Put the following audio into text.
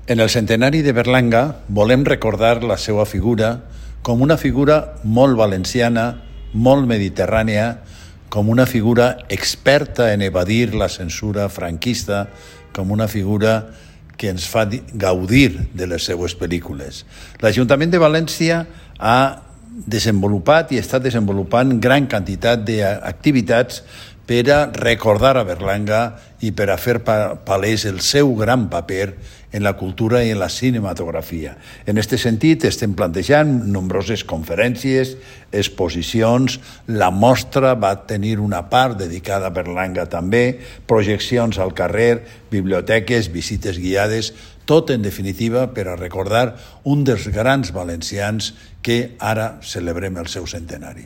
En el centenari de Berlanga volem recordar la seva figura com una figura molt valenciana, molt mediterrània, com una figura experta en evadir la censura franquista, com una figura que ens fa gaudir de les seues pel·lícules. L'Ajuntament de València ha desenvolupat i està desenvolupant gran quantitat d'activitats per a recordar a Berlanga i per a fer palès el seu gran paper en la cultura i en la cinematografia. En aquest sentit, estem plantejant nombroses conferències, exposicions, la mostra va tenir una part dedicada a Berlanga també, projeccions al carrer, biblioteques, visites guiades, tot en definitiva per a recordar un dels grans valencians que ara celebrem el seu centenari.